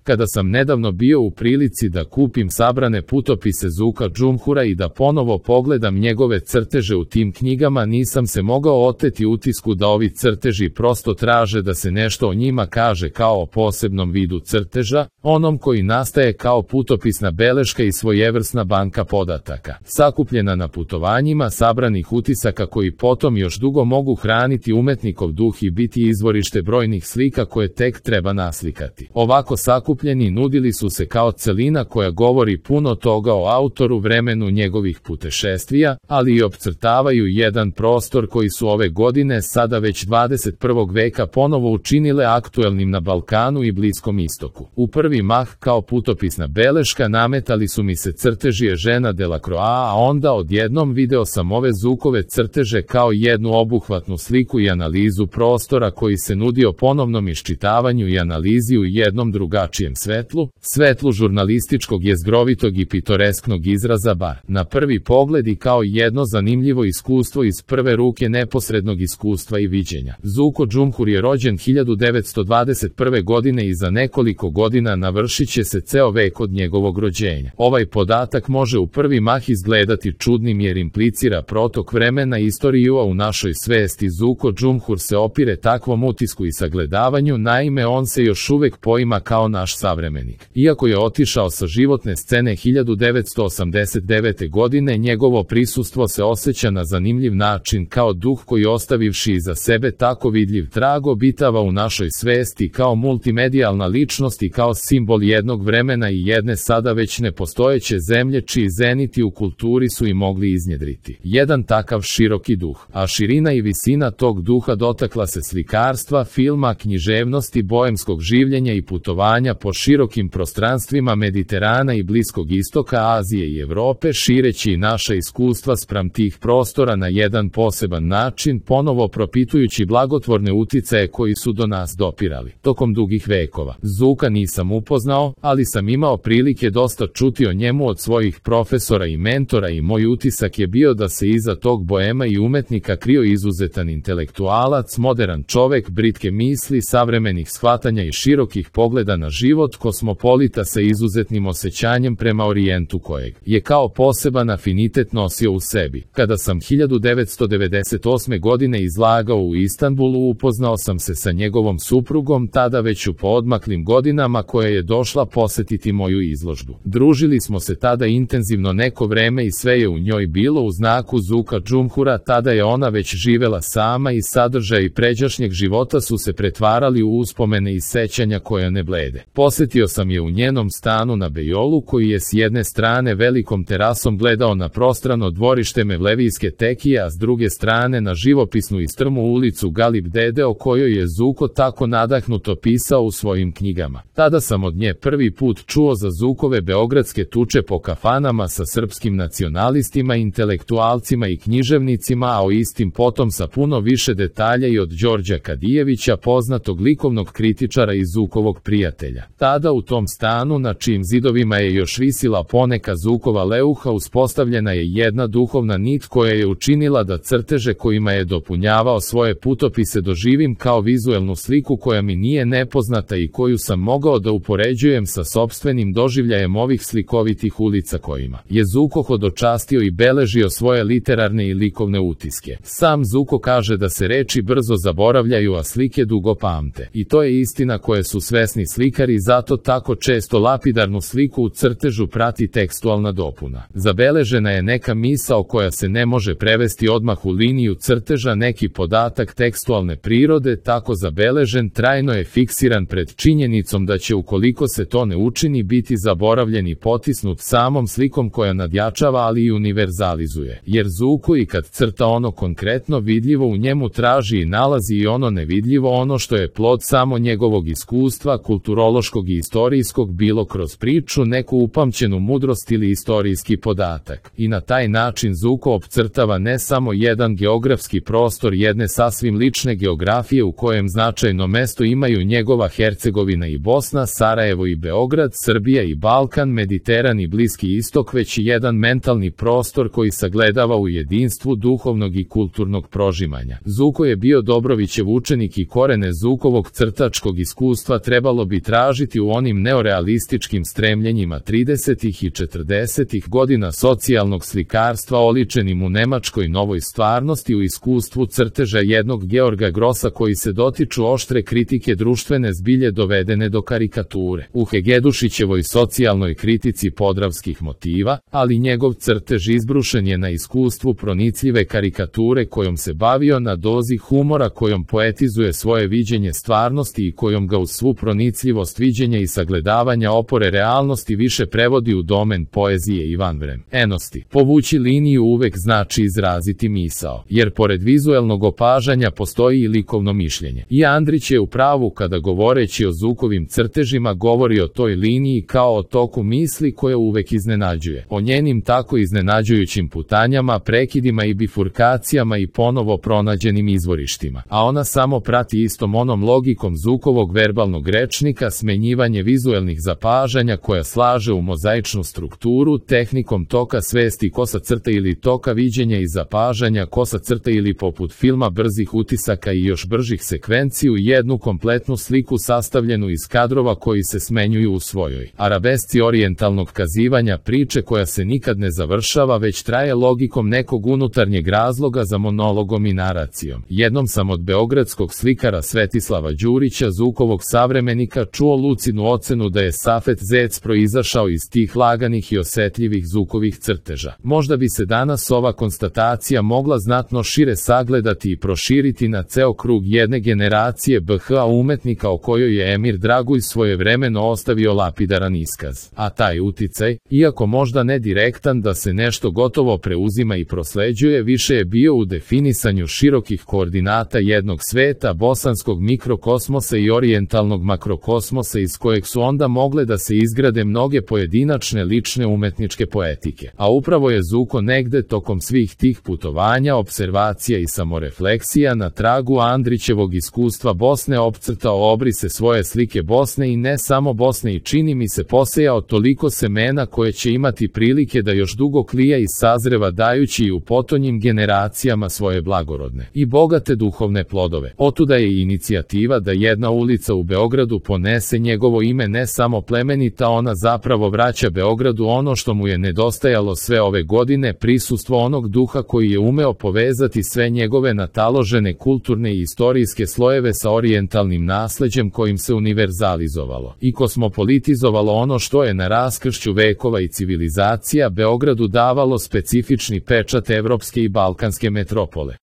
Kada sam nedavno bio u prilici da kupim sabrane putopise Zuka Džumhura i da ponovo pogledam njegove crteže u tim knjigama, nisam se mogao oteti utisku da ovi crteži prosto traže da se nešto o njima kaže kao o posebnom vidu crteža, onom koji nastaje kao putopisna beleška i svojevrsna banka podataka, sakupljena na putovanjima sabranih utisaka koji potom još dugo mogu hraniti umetnikov duh i biti izvorište brojnih slika koje tek treba naslikati. Ovako sakupljeni nudili su se kao celina koja govori puno toga o autoru, vremenu njegovih putešestvija, ali i opcrtavaju jedan prostor koji su ove godine, sada već 21. veka, ponovo učinile aktuelnim na Balkanu i Bliskom istoku. U prvi mah kao putopisna beleška nametali su mi se crteži Eugena Delacroix, a onda odjednom video sam ove Zukove crteže kao jednu obuhvatnu sliku i analizu prostora koji se nudio ponovnom iščitavanju i analizi u jednom drugačijem svetlu, svetlu žurnalističkog, jezgrovitog i pitoresknog izraza, bar na prvi pogled, i kao jedno zanimljivo iskustvo iz prve ruke neposrednog iskustva i viđenja. Zuko Džumhur je rođen 1921. godine i za nekoliko godina navršit će se ceo vek od njegovog rođenja. Ovaj podatak može u prvi mah izgledati čudnim jer implicira protok vremena i istoriju, a u našoj svesti Zuko Džumhur se opire takvom utisku i sagledavanju, naime on se još uvek poima kao naš savremenik. Iako je otišao sa životne scene 1989. godine, njegovo prisustvo se osjeća na zanimljiv način kao duh koji, ostavivši iza sebe tako vidljiv trag, obitava u našoj svesti kao multimedijalna ličnost i kao simbol jednog vremena i jedne sada već nepostojeće zemlje čiji zeniti u kulturi su i mogli iznjedriti jedan takav široki duh, a širina i visina tog duha dotakla se slikarstva, filma, književnosti, boemskog življenja i putovanja po širokim prostranstvima Mediterana i Bliskog istoka, Azije i Evrope, šireći i naša iskustva spram tih prostora na jedan poseban način, ponovo propitujući blagotvorne uticaje koji su do nas dopirali tokom dugih vekova. Zuka nisam upoznao, ali sam imao prilike dosta čuti o njemu od svojih profesora i mentora i moj utisak je bio da se iza tog boema i umetnika krio izuzetan intelektualac, moderan čovek, britke misli, savremenih shvatanja i širokih pogleda na život, kosmopolita sa izuzetnim osjećanjem prema orijentu kojeg je kao poseban afinitet nosio u sebi. Kada sam 1998. godine izlagao u Istanbulu, upoznao sam se sa njegovom suprugom, tada već u poodmaklim godinama, koja je došla posetiti moju izložbu. Družili smo se tada intenzivno neko vreme i sve je u njoj bilo u znaku Zuka Džumhura. Tada je ona već živela sama i sadržaj pređašnjeg života su se pretvarali u uspomene i sećanja koja ne blede. Posetio sam je u njenom stanu na Bejolu, koji je s jedne strane velikom terasom gledao na prostrano dvorište Mevlevijske tekije, a s druge strane na živopisnu i strmu ulicu Galip Dede, o kojoj je Zuko tako nadahnuto pisao u svojim knjigama. Tada sam od nje prvi put čuo za Zukove beogradske tuče po kafanama sa srpskim nacionalistima, intelektualcima i književnicima, a o istim potom sa puno više detalja i od Đorđa Kadijevića, poznatog likovnog kritičara i Zukovog prijatelja. Tada u tom stanu, na čijim zidovima je još visila poneka Zukova leuha, uspostavljena je jedna duhovna nit koja je učinila da crteže kojima je dopunjavao svoje putopise doživim kao vizuelnu sliku koja mi nije nepoznata i koju sam mogao da upoređujem sa sopstvenim doživljajem ovih slikovitih ulica kojima je Zuko hodočastio i beležio svoje literarne i likovne utiske. Sam Zuko kaže da se reči brzo zaboravljaju, a slike dugo pamte. I to je istina koje su svesni slikari, zato tako često lapidarnu sliku u crtežu prati tekstualna dopuna. Zabeležena je neka misao koja se ne može prevesti odmah u liniju crteža, neki podatak tekstualne prirode, tako zabeležen, trajno je fiksiran pred činjenicom da će, ukoliko se to ne učini, biti zaboravljen i potisnut samom slikom koja nadjačava, ali i univerzalizuje. Jer Zuko i kad crta ono konkretno vidljivo, u njemu traži i nalazi i ono nevidljivo, ono što je plod samo njegovog iskustva, kulturološkog i istorijskog, bilo kroz priču, neku upamćenu mudrost ili istorijski podatak. I na taj način Zuko opcrtava ne samo jedan geografski prostor jedne sasvim lične geografije u kojem značajno mesto imaju njegova Hercegovina i Bosna, Sarajevo i Beograd, Srbija i Balkan, Mediteran i Bliski istok, već i jedan mentalni prostor koji sagledava u jedinstvu duhovnog i kulturnog prožimanja. Zuko je bio Dobrovićev učenik i korene Zukovog crtačkog iskustva trebalo bi tražiti tražiti u onim neorealističkim stremljenjima 30. i 40. godina socijalnog slikarstva oličenim u nemačkoj novoj stvarnosti, u iskustvu crteža jednog Georga Grossa koji se dotiču oštre kritike društvene zbilje dovedene do karikature, u Hegedušićevoj socijalnoj kritici podravskih motiva, ali njegov crtež izbrušen je na iskustvu pronicljive karikature kojom se bavio, na dozi humora kojom poetizuje svoje viđenje stvarnosti i kojom ga uz svu pronicljivost viđenja i sagledavanja opore realnosti više prevodi u domen poezije i vanvremenosti. Povući liniju uvek znači izraziti misao, jer pored vizuelnog opažanja postoji i likovno mišljenje. I Andrić je u pravu kada govoreći o Zukovim crtežima govori o toj liniji kao o toku misli koja uvek iznenađuje, o njenim tako iznenađujućim putanjama, prekidima i bifurkacijama i ponovo pronađenim izvorištima, a ona samo prati istom onom logikom Zukovog verbalnog rečnika smenjivanje vizuelnih zapažanja koja slaže u mozaičnu strukturu tehnikom toka svesti kosa crta ili toka viđenja i zapažanja kosa crta ili poput filma brzih utisaka i još bržih sekvenciju u jednu kompletnu sliku sastavljenu iz kadrova koji se smenjuju u svojoj arabesci orijentalnog kazivanja priče koja se nikad ne završava već traje logikom nekog unutarnjeg razloga za monologom i naracijom. Jednom sam od beogradskog slikara Svetislava Đurića, Zukovog savremenika, čuo lucidnu ocenu da je Safet Zec proizašao iz tih laganih i osetljivih Zukovih crteža. Možda bi se danas ova konstatacija mogla znatno šire sagledati i proširiti na ceo krug jedne generacije BH umetnika o kojoj je Emir Dragulj svojevremeno ostavio lapidaran iskaz. A taj uticaj, iako možda ne direktan da se nešto gotovo preuzima i prosleđuje, više je bio u definisanju širokih koordinata jednog sveta, bosanskog mikrokosmosa i orijentalnog makrokosmosa iz kojeg su onda mogle da se izgrade mnoge pojedinačne lične umetničke poetike. A upravo je Zuko negde tokom svih tih putovanja, observacija i samorefleksija na tragu Andrićevog iskustva Bosne opcrtao obrise svoje slike Bosne i ne samo Bosne i čini mi se posejao toliko semena koje će imati prilike da još dugo klija i sazreva dajući i u potonjim generacijama svoje blagorodne i bogate duhovne plodove. Otuda je inicijativa da jedna ulica u Beogradu ponese njegovo ime, ne samo plemenita, ona zapravo vraća Beogradu ono što mu je nedostajalo sve ove godine, prisustvo onog duha koji je umeo povezati sve njegove nataložene kulturne i istorijske slojeve sa orijentalnim nasleđem kojim se univerzalizovalo i kosmopolitizovalo ono što je na raskršću vekova i civilizacija Beogradu davalo specifični pečat evropske i balkanske metropole.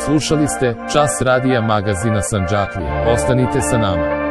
Slušali ste Čas radija magazina Sandžaklija. Ostanite sa nama.